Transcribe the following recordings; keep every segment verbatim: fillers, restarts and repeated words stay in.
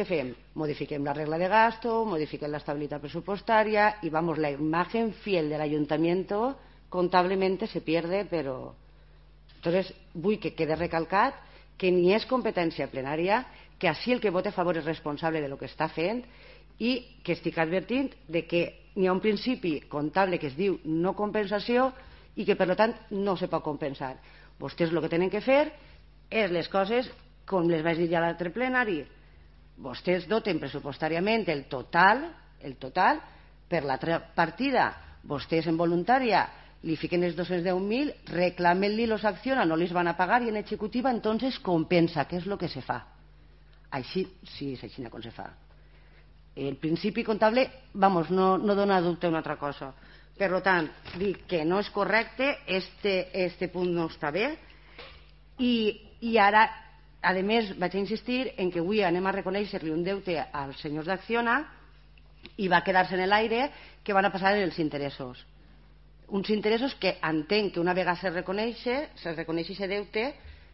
Què fem? Modifiquem la regla de gasto, modifiquem l'estabilitat pressupostària y vamos, la imagen fiel del ayuntamiento contablemente se pierde, pero... Entonces, vull que quede recalcat que ni és competència plenària, que així el que vota a favor és responsable de lo que està fent i que estic advertint de que hi ha un principi comptable que es diu no compensació i que, per tant, no se pot compensar. Vostès el que tenen que fer és les coses, com les vaig dir ja a l'altre plenari, vostès doten pressupostàriament el total, el total per l'altra partida. Vostès en voluntària li fiquen els dos-cents deu mil, reclamen-li los acciona, no les van a pagar i en executiva entonces compensa, que és el que se fa. Així, sí, és així com se fa. El principi comptable, vamos, no, no dona dubte a una altra cosa. Per tant, dic que no és correcte, este, este punt no està bé i, i ara, a més, vaig a insistir en que avui anem a reconèixer-li un deute als senyors d'Acciona i va quedar-se en l'aire que van a passar els interessos. Uns interessos que entenc que una vegada se reconeix, se reconeix aquest deute,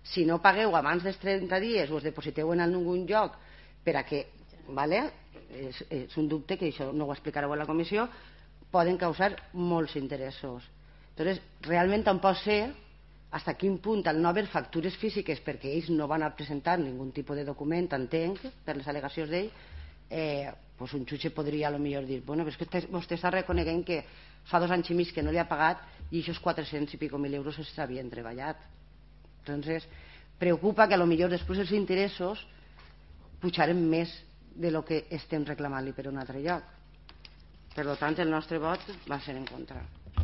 si no pagueu abans dels trenta dies o es depositeu en algun lloc per a que, vale? és, és un dubte que això no ho explicareu a la comissió, poden causar molts interessos. Entonces, realment tampoc sé fins a quin punt al no haver factures físiques, perquè ells no van a presentar ningun tipus de document, entenc, per les al·legacions d'ell, eh, pues un jutge podria a lo millor dir, bueno, és que vostè està reconeguent que fa dos anys i mig que no li ha pagat i aquests quatre-cents i pico mil euros s'havien treballat. Entonces, preocupa que a lo millor després els interessos pujarem més de lo que estem reclamant-li per un altre lloc. Per tant, el nostre vot va ser en contra.